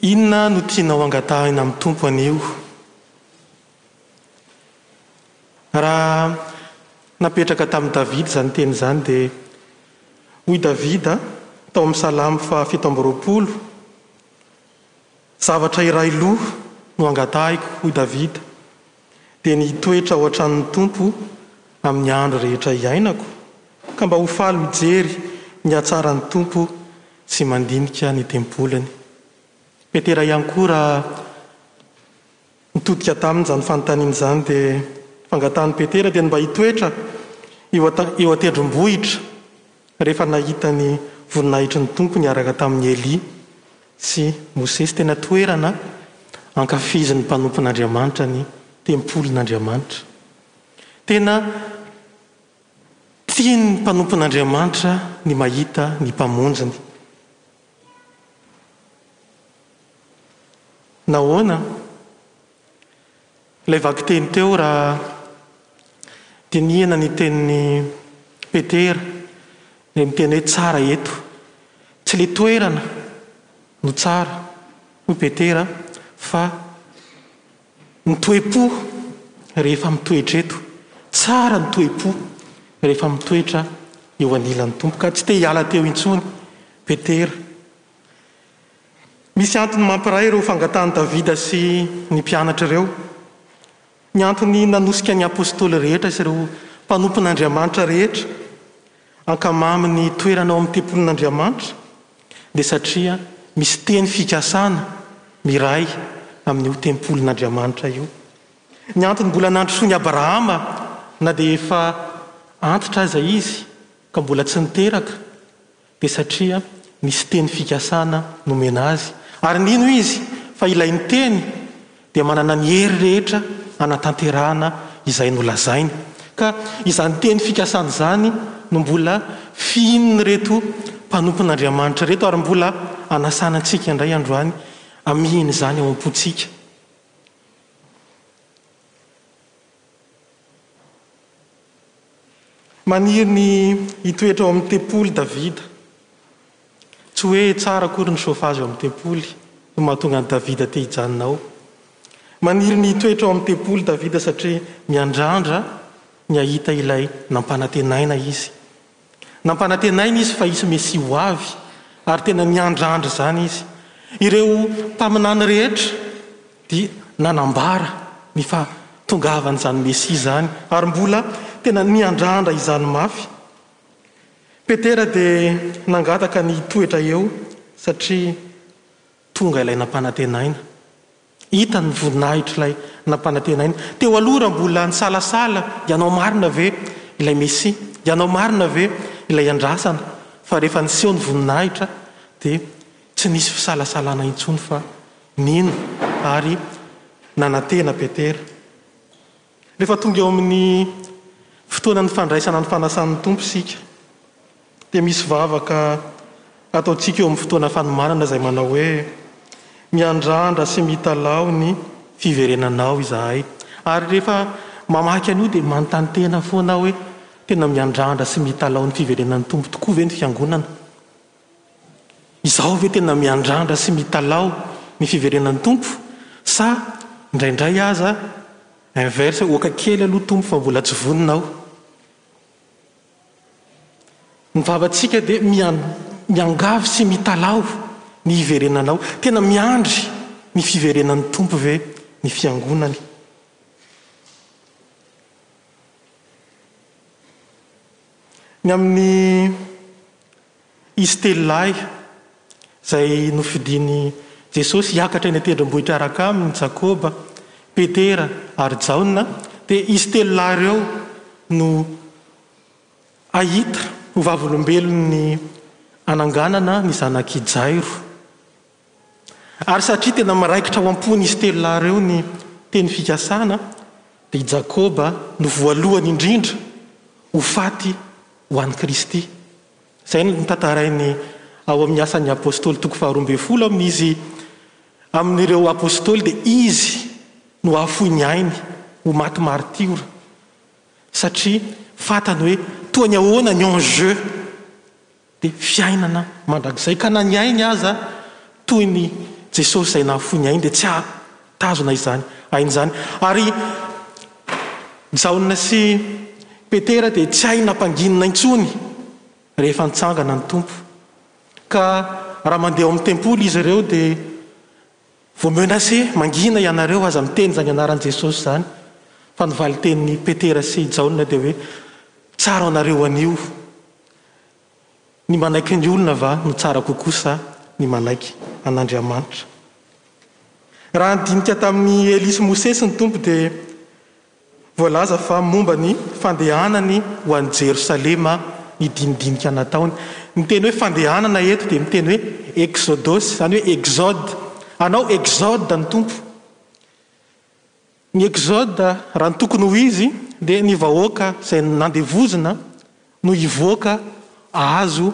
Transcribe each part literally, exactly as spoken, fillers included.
Inona no tianao angatahina amin'ny Tompo anio? Raha napetraka tamin'i Davida izany teny izany dia hoy Davida tao amin'ny Salamo fahafito amby roapolo, Zavatra iray loha no angatahiko, hoy Davida, dia ny hitoetra ao an-tranon'ny Tompo amin'ny andro rehetra iainako, ka mba ho faly mijery ny hatsaran'ny Tompo sy mandinika ny tempoliny. Petera ihany koa raha nitodika taminy izany fanontaniana izany dia fangatahan'i Petera dia ny mba hitoetra eo eo an-tendrombohitra rehefa nahita ny voninahitry ny Tompo niaraka tamin'i Elia sy Mosesy. Tena toerana ankafizin'ny mpanompon'Andriamanitra ny tempolin'Andriamanitra. Tena tian'ny mpanompon'Andriamanitra ny mahita ny mpamonjiny. Nahoana? Ilay vakiteny teo raha dinihana ny tenin'i Petera, ilay miteny hoe tsara eto. Tsy ilay toerana no tsara, hoy Petera, fa ny toe-po rehefa mitoetra eto. Tsara ny toe-po rehefa mitoetra eo anilan'ny Tompo. Ka tsy te hiala teo intsony Petera. Misy antony mampiray ireo fangatahan'i Davida sy ny mpianatra ireo. Ny antony nanosika ny apostoly rehetra sy ireo mpanompon'Andriamanitra rehetra hankamamy ny toerana ao amin'ny tempolin'Andriamanitra dia satria misy teny fikasana miray amin'io tempolin'Andriamanitra io. Ny antony mbola nandrosoan'i Abrahama na dia efa antitra aza izy ka mbola tsy niteraka dia satria nisy teny fikasana nomena azy, ary nino izy fa ilay niteny dia manana ny hery rehetra hanatanterahana izay nolazainy. Ka izany teny fikasana izany no mbola fihinin'ireto mpanompon'Andriamanitra ireto, ary mbola anasana antsika indray androany hamihina izany ao am-pontsika. Maniry ny hitoetra ao amin'ny tempoly Davida. Tsy hoe tsara akory ny chauffage ao amin'ny tempoly no mahatonga an'i Davida te hijanona ao. Maniry ny hitoetra ao amin'ny tempoly Davida satria miandrandra ny hahita ilay nampanantenaina izy. Nampanantenaina izy fa hisy Mesia ho avy, ary tena niandrandra izany izy. Ireo mpaminany rehetra dia nanambara ny fahatongavan'izany Mesia izany, ary mbola tena niandrandra izany mafy. Petera dia nangataka ny hitoetra eo satria tonga ilay nampanantenaina. Hitany ny voninahitr'ilay nampanantenaina. Teo aloha raha mbola nisalasala, ianao marina ve ilay Mesia? Ianao marina ve ilay andrasana? Fa rehefa niseho ny voninahitra dia tsy nisy fisalasalana intsony fa nino ary nanantena Petera. Rehefa tonga eo amin'ny fotoanan'ny fandraisana ny fanasan'ny Tompo isika dia misy vavaka ataontsika eo amin'ny fotoana fanomanana izay manao hoe miandrandra sy mitalaho ny fiverenanao izahay. Ary rehefa mamaky an'io dia manontany tena foana aho hoe tena miandrandra sy mitalaho ny fiverenan'ny Tompo tokoa ve ny fiangonana? Izaho ve tena miandrandra sy mitalaho ny fiverenan'ny Tompo sa indraindray aza inverse, oka kely aloha Tompo fa mbola tsy vonona aho? Ny vavantsika dia miangavy sy mitalaho ny hiverenanao. Tena miandry ny fiverenan'ny Tompo ve ny fiangonany? Ny amin'ny izy telo lahy izay nofidin'i Jesosy hiakatra eny an-tendrombohitra araka aminy, Jakoba, Petera ary Jaona, dia izy telo lahy ireo no hahita ho vavolombelon'ny hananganana ny zanak'i Jairo. Ary satria tena miraikitra ao am-pon'izy telo lahy ireo ny teny fikasana, dia i Jakoba no voalohany indrindra ho faty ho an'i Kristy. Izay no tantarainy ao amin'ny Asan'ny Apostoly toko faharoa ambin'ny folo amin'izy amin'ireo apostoly dia izy no hahafoy ny ainy ho maty martiora satria fantany hoe toa ny ahoana ny enjeu dia fiainana mandrakizay ka na ny ainy aza toy ny Jesosy izay nahafoy ny ainy dia tsy hahatazona izany ainy izany. Ary Jaona sy Petera dia tsy hay nampanginina intsony rehefa nitsangana ny Tompo. Ka raha mandeha ao amin'ny tempoly izy ireo dia vao menacé, mangina ianareo, aza miteny izany anaran'i Jesosy izany. Fa ny valin-tenin'i Petera sy Jaona dia hoe tsara anareo anio. Ny manaiky ny olona va no tsara kokoa sa ny manaiky an'Andriamanitra? Raha nidinika tamin'i Elia sy Mosesy ny Tompo dia voalaza fa momba ny fandehanany ho any Jerosalema ny dinidinika nataony. Ny teny hoe fandehanana eto dia miteny hoe exodos, izany hoe exode. Anao exode ny Tompo. Ny exode, raha ny tokony ho izy, dia ny vahoaka izay nandevozina no hivoaka ahazo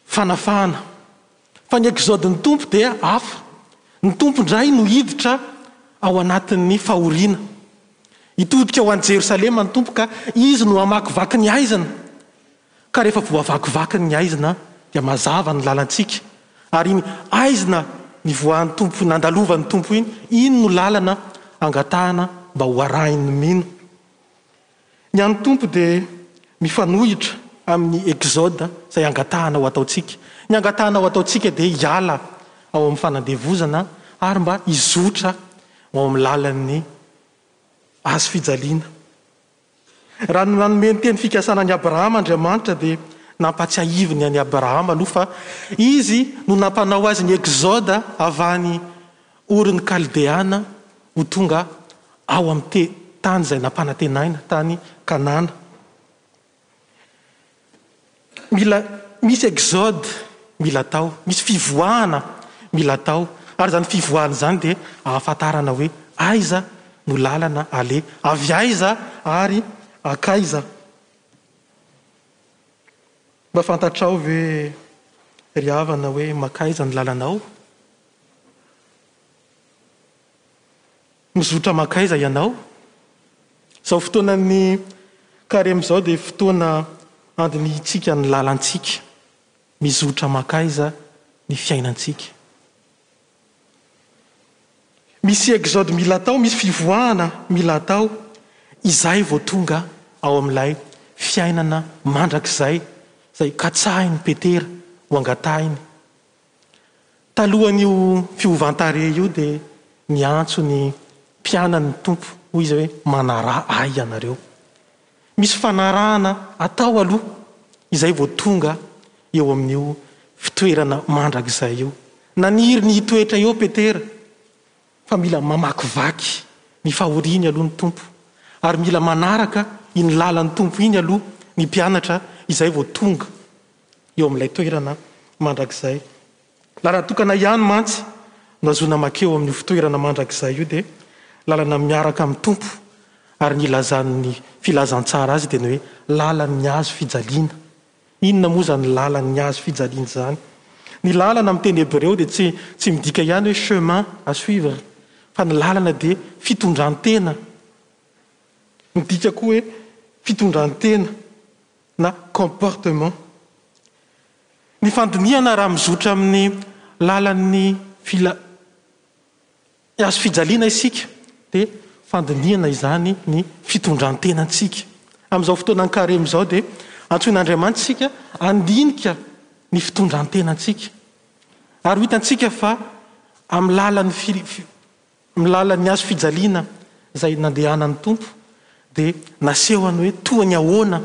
fanafahana. Fa ny exode ny Tompo dia hafa. Ny Tompo indray no hiditra ao anatin'ny fahoriana. Hitodika ho any Jerosalema ny Tompo ka izy no hamakivaky ny aizina. Ka rehefa voavakivaky ny aizina dia mazava ny lalantsika. Ary iny aizina nivoahan'ny Tompo, nandalovan'ny Tompo iny, iny no lalana angatahana mba ho arahin'ny mino. Ny an'ny Tompo dia mifanohitra amin'ny exode izay angatahana ho ataontsika. Ny angatahana ho ataontsika dia hiala ao amin'ny fanandevozana ary mba hizotra ao amin'ny lalan'ny hazo fijaliana. Raha nanome ny teny fikasana an'i Abrahama Andriamanitra dia nampatsiahiviny an'i Abrahama aloha fa izy no nampanao azy ny exode avy any Orin'ny Kaldeana ho tonga ao amin'ny tany izay nampanantenaina, tany Kanana. Mila misy exode mila atao, misy fivoahana mila atao, ary izany fivoahana izany dia ahafantarana hoe aiza no lalana aleha, avy aiza ary akaiza. Mba fantatrao ve ry havana hoe makaiza ny lalanao? Mizotra makaiza ianao? Izao fotoanan'ny karemy izao dia fotoana andinihintsika ny lalantsika. Mizotra makaiza ny fiainantsika? Misy exode mila atao, misy fivoahana mila atao, izay vao tonga ao amin'ilay fiainana mandrakizay izay katsahin'i Petera ho angatahiny. Talohan'io fiovan-tarehy io dia niantso ny mpianany ny Tompo, hoy izy hoe manaraha ahy ianareo. Misy fanarahana atao aloha izay vao tonga eo amin'io fitoerana mandrakizay io. Naniry ny hitoetra eo Petera, fa mila mamakivaky ny fahoriany aloha ny Tompo, ary mila manaraka iny lalan'ny Tompo iny aloha ny mpianatra izay vao tonga eo amin'ilay toerana mandrakizay. Lalana tokana ihany mantsy no azoana makeo amin'io fitoerana mandrakizay io, dia lalana miaraka amin'ny Tompo, ary ny ilazan'ny filazantsara azy dia ny hoe lalan'ny hazo fijaliana. Inona moa izany lalan'ny hazo fijaliana izany? Ny lalana amin'ny teny hebreo dia tsy tsy midika ihany hoe chemin à suivre, fa ny lalana dia fitondran-tena. Midika koa hoe fitondran-tena na comportement. Ny fandinihana raha mizotra amin'ny lalan'ny fila hazo fijaliana isika dia fandinihana izany ny fitondran-tenantsika. Amin'izao fotoanan'ny karemy izao dia antsoin'Andriamanitra isika handinika ny fitondran-tenantsika. Ary ho hitantsika fa amin'ny lalan'ny fi-, amin'ny lalan'ny hazo fijaliana izay nandehanan'ny Tompo dia nasehony hoe toa ny ahoana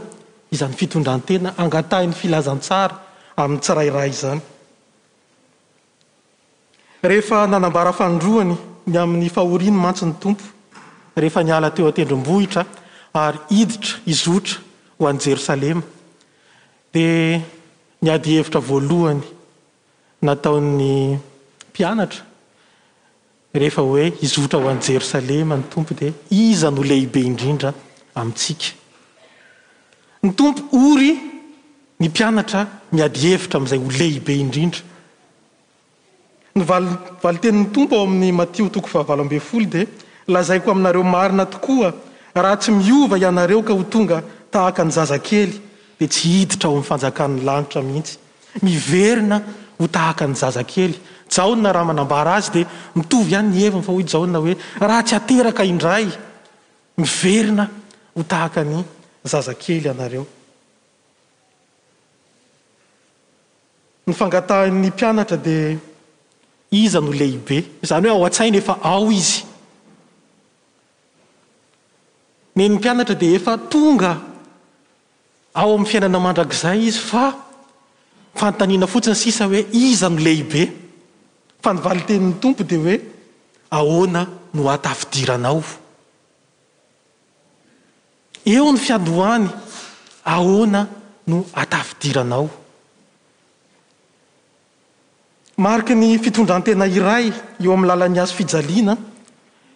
izany fitondran-tena angatahin'ny filazantsara amin'ny tsirairay izany. Rehefa nanambara fanindroany ny amin'ny fahoriany mantsy ny Tompo, rehefa niala teo an-tendrombohitra ary hiditra hizotra ho any Jerosalema, dia ny adihevitra voalohany nataon'ny mpianatra rehefa hoe hizotra ho any Jerosalema ny Tompo dia iza no lehibe indrindra amintsika? Ny Tompo ory ny mpianatra miady hevitra amin'izay ho lehibe indrindra. Ny val-, valin-tenin'ny Tompo ao amin'ny Matio toko fahavalo ambin'ny folo dia lazaiko aminareo marina tokoa, raha tsy miova ianareo ka ho tonga tahaka ny zazakely dia tsy hiditra ao amin'ny fanjakan'ny lanitra mihitsy. Miverina ho tahaka ny zazakely, Jaona raha manambara azy dia mitovy ihany ny heviny, fa hoy Jaona hoe raha tsy ateraka indray, miverina ho tahaka ny zazakely ianareo. Ny fangatahin'ny mpianatra dia iza no lehibe? Izany hoe ao an-tsaina efa ao izy. Ny mpianatra dia efa tonga ao amin'ny fiainana mandrakizay izy, fa fanontaniana fotsiny sisa hoe iza no lehibe? Fa ny valin-tenin'ny Tompo dia hoe ahoana no ahatafidiranao? Eo ny fiandohany, ahoana no ahatafidiranao? Mariky ny fitondran-tena iray eo amin'ny lalan'ny hazo fijaliana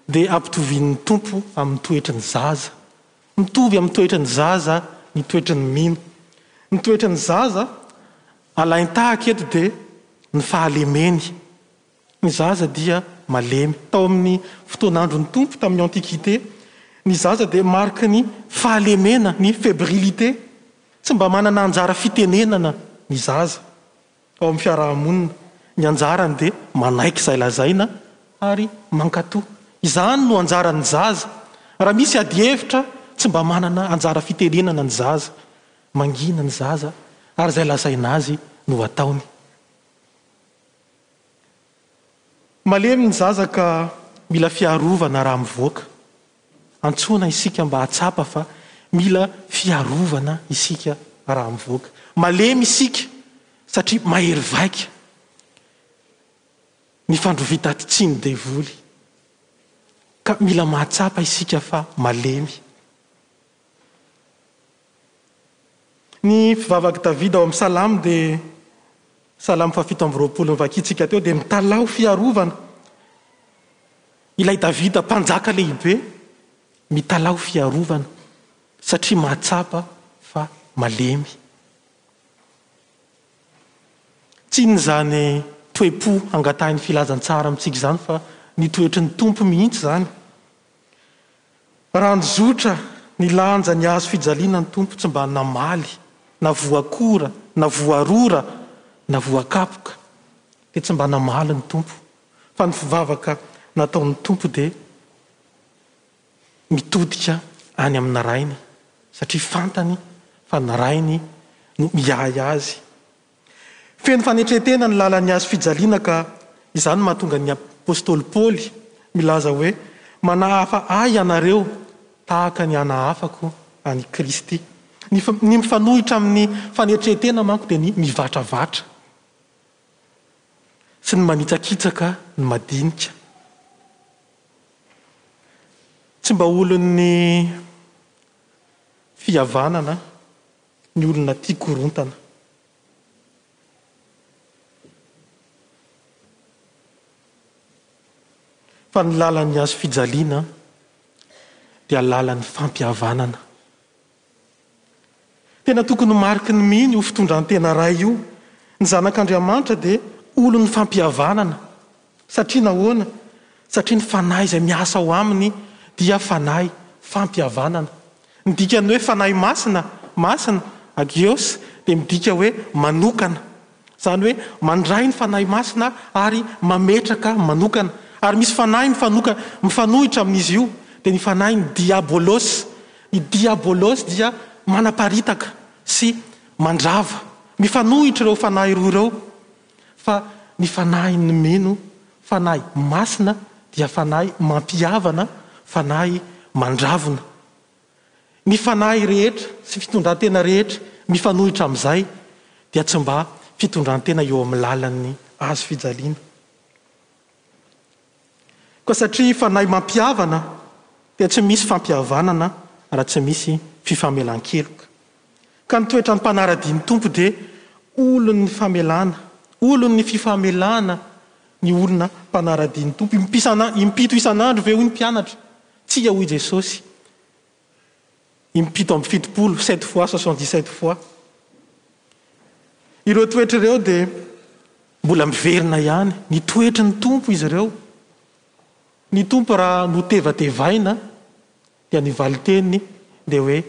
dia ampitovian'ny Tompo amin'ny toetry ny zaza. Mitovy amin'ny toetry ny zaza ny toetry ny mino. Ny toetry ny zaza alain-tahaka eto dia ny fahalemeny. Ny zaza dia malemy. Tao amin'ny fotoan'andron'ny Tompo tamin'ny Antiquité, ny zaza dia mariky ny fahalemena, ny fébrilité. Tsy mba manana anjara fitenenana ny zaza ao amin'ny fiarahamonina. Ny anjarany dia manaiky izay lazaina ary mankatò. Izany no anjaran'ny zaza. Raha misy adihevitra, tsy mba manana anjara fitenenana ny zaza. Mangina ny zaza ary izay lazaina azy no ataony. Malemy ny zaza ka mila fiarovana raha mivoaka. Antsoina isika mba hahatsapa fa mila fiarovana isika raha mivoaka. Malemy isika satria mahery vaika ny fandrovitati-tsiny devoly. Ka mila mahatsapa isika fa malemy. Ny fivavak'i Davida ao amin'ny Salamo dia Salamo fahafito amby roapolo novakintsika teo dia mitalaho fiarovana. Ilay Davida mpanjaka lehibe mitalaho fiarovana satria mahatsapa fa malemy. Tsy inona izany toe-po angatahin'ny filazantsara amintsika izany fa ny toetry ny Tompo mihitsy izany. Raha nizotra ny lanja ny hazo fijaliana ny Tompo tsy mba namaly, na voakora, na voarora, na voakapoka, dia tsy mba namaly ny Tompo. Fa ny fivavaka nataon'ny Tompo dia mitodika any amin'ny Rainy, satria fantany fa ny Rainy no miahy azy. Feno fanetren-tena ny lalan'ny hazo fijaliana ka izany mahatonga ny apostoly Paoly milaza hoe manahafa ahy ianareo tahaka ny anahafako an'i Kristy. Ny ny mifanohitra amin'ny fanetren-tena manko dia ny mivatravatra sy ny manitsakitsaka ny madinika. Tsy mba olon'ny fihavanana ny olona tia korontana. Fa ny lalan'ny hazo fijaliana dia lalan'ny fampihavanana. Tena tokony ho mariky ny mino io fitondran-tena ray io. Ny zanak'Andriamanitra dia olon'ny fampihavanana. Satria nahoana? Satria ny fanahy izay miasa ao aminy dia fanahy fampihavanana. Ny dikan'ny hoe fanahy masina, masina, agios, dia midika hoe manokana. Izany hoe mandray ny fanahy masina ary mametraka manokana. Ary misy fanahy mifanoka, mifanohitra amin'izy io, dia ny fanahin'ny diabolos. Ny diabolos dia manaparitaka sy mandrava. Mifanohitra ireo fanahy roa ireo. Fa ny fanahin'ny mino, fanahy masina, dia fanahy mampihavana, fanahy mandravona. Ny fanahy rehetra sy fitondran-tena rehetra mifanohitra amin'izay dia tsy mba fitondran-tena eo amin'ny lalan'ny hazo fijaliana. Koa satria fanahy mampihavana dia tsy misy fampihavanana raha tsy misy fifamelan-keloka. Ka ny toetran'ny mpanara-dia ny Tompo dia olon'ny famelana, olon'ny fifamelana ny olona mpanara-dia ny Tompo. Impito isan'andro ve hoy ny mpianatra? Tsia hoy Jesosy. Impito amby fitopolo, sept fois, soixante-dix-sept fois. Ireo toetra ireo dia mbola miverina ihany. Ny toetry ny Tompo izy ireo. Ny Tompo raha notevatevaina dia ny valin-teniny dia hoe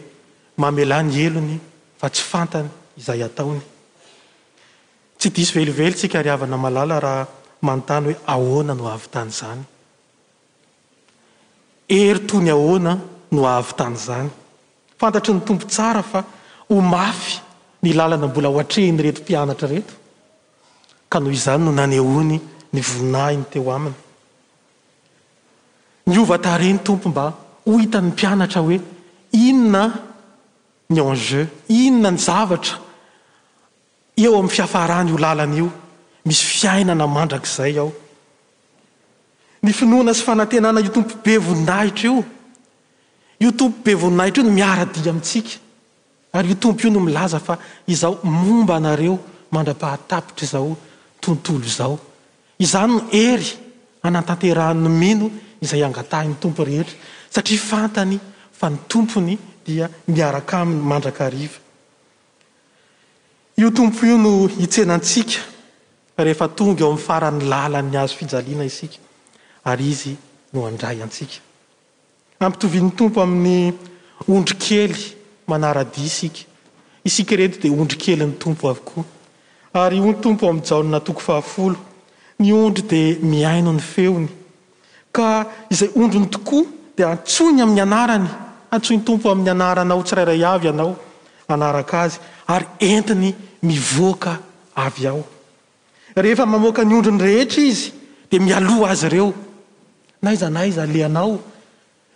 mamelà ny helony fa tsy fantany izay ataony. Tsy diso velively tsika ry havana malala raha manontany hoe ahoana no ahavitan'izany. Hery toy ny ahoana no ahavitan'izany. Fantatry ny Tompo tsara fa ho mafy ny lalana mbola ho atrehin'ireto mpianatra ireto, ka noho izany no nanehoany ny voninahiny teo aminy. Niova tarehy ny Tompo mba ho hitan'ny mpianatra hoe inona ny enjeu, inona ny zavatra eo amin'ny fiafarany io lalana io, misy fiainana mandrakizay ao. Ny finoana sy fanantenana io Tompo be voninahitra io, io Tompo be voninahitra io no miara-dia amintsika. Ary io Tompo io no milaza fa izaho momba anareo mandra-pahatapitra izao tontolo izao. Izany no hery hanatanterahan'ny mino izay angatahin'ny Tompo rehetra, satria fantany fa ny Tompony dia miaraka aminy mandrakariva. Io Tompo io no hitsenantsika rehefa tonga eo amin'ny faran'ny lalan'ny hazo fijaliana isika, ary Izy no handray antsika. Ampitovian'ny Tompo amin'ny ondry kely manara-dia isika. Isika ireto dia ondry kelin'ny Tompo avokoa. Ary hoy ny Tompo amin'ny Jaona toko fahafolo, ny ondry dia mihaino ny feony, ka izay ondriny tokoa dia antsoiny amin'ny anarany. Antsoin'ny Tompo amin'ny anaranao tsirairay avy ianao hanaraka Azy, ary entiny mivoaka avy ao. Rehefa mamoaka ny ondriny rehetra Izy dia mialoha azy ireo. N'aiza n'aiza alehanao,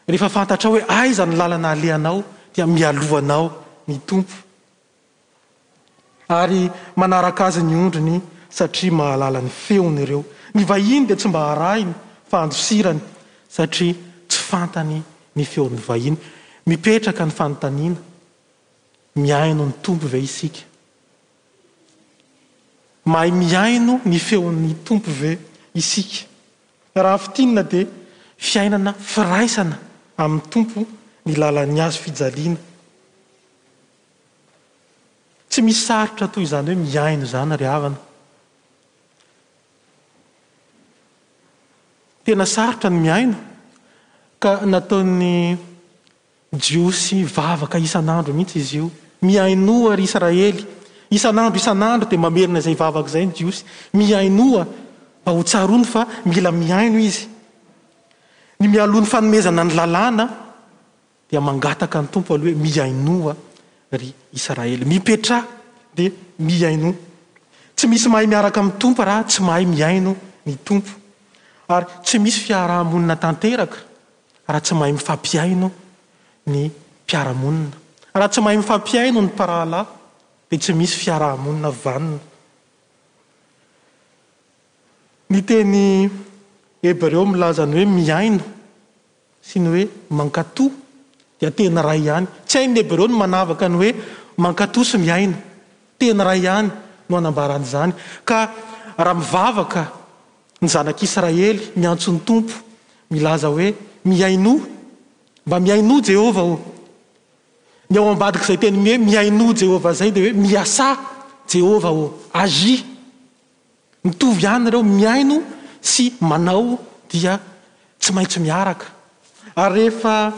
rehefa fantatrao hoe aiza ny lalana alehanao, dia mialoha anao ny Tompo. Ary manaraka Azy ny ondriny satria mahalala ny feony ireo. Ny vahiny dia tsy mba arahiny fa andosirany satria tsy fantany ny feon'ny vahiny. Mipetraka ny fanontaniana, mihaino ny Tompo ve isika? Mahay mihaino ny feon'ny Tompo ve isika? Raha fintinina dia fiainana firaisana amin'ny Tompo ny lalan'ny hazo fijaliana. Tsy misy sarotra toy izany hoe mihaino izany ry havana. Tena sarotra ny mihaino, ka nataon'ny Jiosy vavaka isan'andro mihitsy izy io. Mihainoa ry Israely. Isan'andro isan'andro dia mamerina izay vavaka izay ny Jiosy. Mihainoa mba ho tsaroany fa mila mihaino izy. Ny mialoha ny fanomezana ny lalàna dia mangataka ny Tompo aloha hoe mihainoa ry Israely. Mipetraha dia mihainoa. Tsy misy mahay miaraka amin'ny Tompo raha tsy mahay mihaino ny Tompo. Ary tsy misy fiarahamonina tanteraka raha tsy mahay mifampihaino ny mpiara-monina. Raha tsy mahay mifampihaino ny mpirahalahy dia tsy misy fiarahamonina vanona. Ny teny hebreo milaza ny hoe mihaino sy ny hoe mankatò dia teny iray ihany. Tsy hain'ny hebreo ny manavaka ny hoe mankatò sy mihaino. Teny iray ihany no anambarany izany. Ka raha mivavaka ny zanak'Israely miantso ny Tompo milaza hoe mihainoa, mba mihainoa Jehovah ô. Ny ao ambadik'izay teny hoe mihainoa Jehovah izay dia hoe miasà Jehovah ô, agis. Mitovy ihany ireo, mihaino sy manao dia tsy maintsy miaraka. Ary rehefa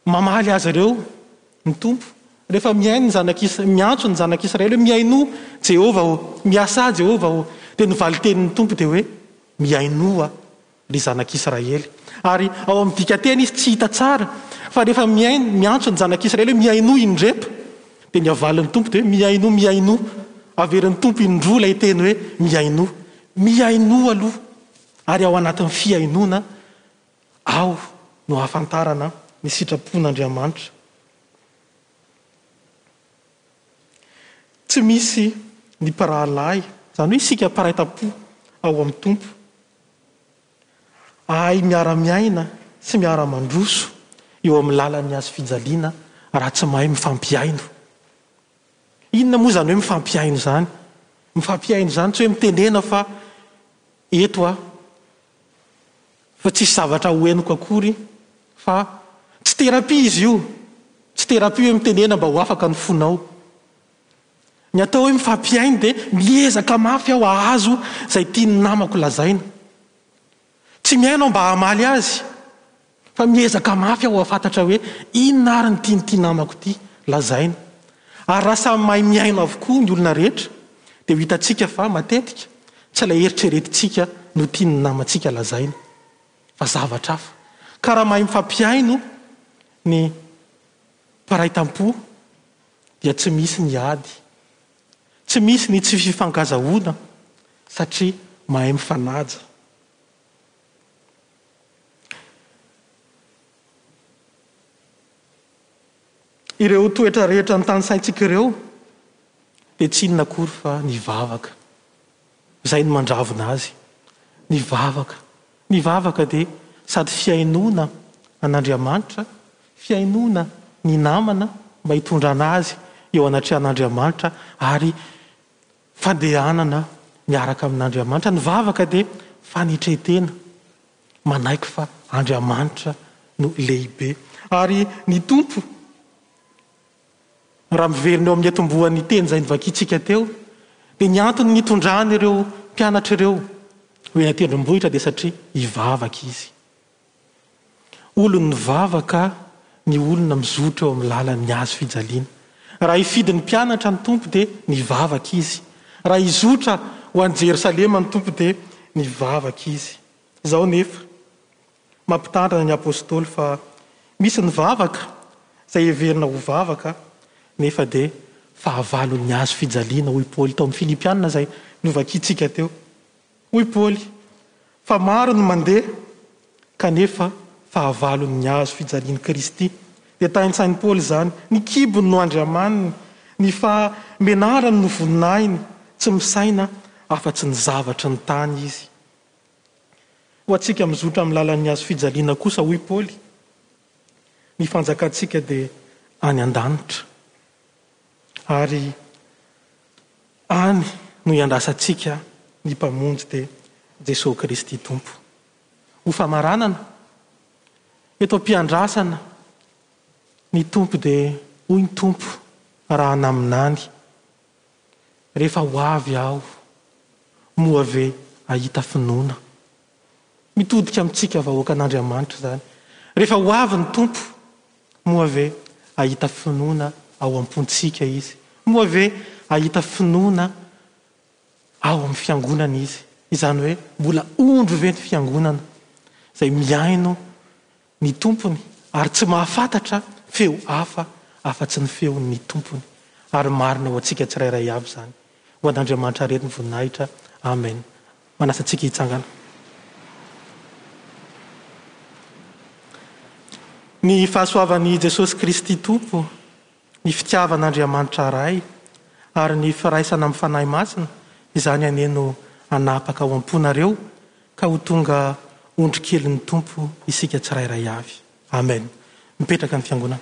mamaly azy ireo ny Tompo, rehefa mihaino ny zanak'Is-, miantso ny zanak'Israely hoe mihainoa Jehovah ô, miasà Jehovah ô, dia ny valin-tenin'ny Tompo dia hoe mihainoa ry zanak'Israely. Ary ao amin'ny dikanteny izy tsy hita tsara, fa rehefa mihaino, miantso ny zanak'Israely hoe mihainoa indreto, dia ny avalin'ny Tompo dia hoe mihainoa, mihainoa. Averin'ny Tompo indroa ilay teny hoe mihainoa. Mihainoa aloha, ary ao anatin'ny fihainoana ao no ahafantarana ny sitrapon'Andriamanitra. Tsy misy ny mpirahalahy, izany hoe isika mpiray tam-po ao amin'ny Tompo, ahay miara-miaina sy miara-mandroso eo amin'ny lalan'ny hazo fijaliana raha tsy mahay mifampihaino. Inona moa izany hoe mifampihaino izany? Mifampihaino izany tsy hoe mitenena fa eto aho, fa tsisy zavatra ho henoko akory, fa tsy terapia izy io. Tsy terapia hoe mitenena mba ho afaka ny fonao. Ny atao hoe mifampihaino dia miezaka mafy aho hahazo izay tian'ny namako lazaina. Tsy mihaino aho mba hamaly azy, fa miezaka mafy aho hahafantatra hoe inona ary ny tian'ity namako ity lazaina. Ary raha samy mahay mihaino avokoa ny olona rehetra, dia ho hitantsika fa matetika tsy Tsy ilay eritreretintsika no tian'ny namantsika lazaina, fa zavatra hafa. Ka raha mahay mifampihaino ny mpiray tampo dia tsy misy ny ady, tsy misy ny tsy fifankazahoana satria mahay mifanaja. Ireo toetra rehetra notanisaintsika ireo dia tsy inona akory fa ny vavaka. Izay no mandravona azy. Ny vavaka. Ny vavaka dia sady fihainoana an'Andriamanitra, fihainoana ny namana mba hitondrana azy eo anatrehan'Andriamanitra ary fandehanana miaraka amin'Andriamanitra. Ny vavaka dia fanetren-tena, manaiky fa Andriamanitra no lehibe. Ary ny Tompo, raha miverina eo amin'ny atombohan'ny teny izay novakintsika teo, dia ny antony nitondrany ireo mpianatra ireo ho eny an-tendrombohitra dia satria hivavaka izy. Olon'ny vavaka ny olona mizotra eo amin'ny lalan'ny hazo fijaliana. Raha hifidy ny mpianatra ny Tompo dia nivavaka izy. Raha hizotra ho any Jerosalema ny Tompo dia nivavaka izy. Izao nefa, mampitandrina ny apostoly fa misy ny vavaka izay heverina ho vavaka nefa dia fahavalon'ny hazo fijaliana, hoy Paoly tao amin'ny Filipiana izay novakintsika teo. Hoy Paoly fa maro ny mandeha kanefa fahavalon'ny hazo fijalian'i Kristy. Dia taintsain'i Paoly izany, ny kibony no andriamaniny, ny fahamenarany no voninahiny, tsy misaina afa-tsy ny zavatry ny tany izy. Ho antsika mizotra amin'ny lalan'ny hazo fijaliana kosa, hoy Paoly, ny fanjakantsika dia any an-danitra. Ary any no iandrasantsika ny Mpamonjy dia Jesoa Kristy Tompo. Ho famaranana, eto am-piandrasana ny Tompo dia hoy ny Tompo raha naminany, rehefa ho avy aho, moa ve hahita finoana? Mitodika amintsika vahoakan'Andriamanitra izany. Rehefa ho avy ny Tompo, moa ve hahita finoana ao am-pontsika Izy? Moa ve hahita finoana ao amin'ny fiangonana Izy? Izany hoe mbola ondry ve ny fiangonana izay mihaino ny Tompony ary tsy mahafantatra feo hafa afa-tsy ny feon'ny Tompony? Ary marina ho antsika tsirairay avy izany. Ho an'Andriamanitra irery ny voninahitra. Amen. Manasa antsika hitsangana. Ny fahasoavan'i Jesosy Kristy Tompo, ny fitiavan'Andriamanitra Ray, ary ny firaisana amin'ny Fanahy Masina, izany anie no hanapaka ao am-ponareo ka ho tonga ondry kelin'ny Tompo isika tsirairay avy. Amen. Mipetraka ny fiangonana.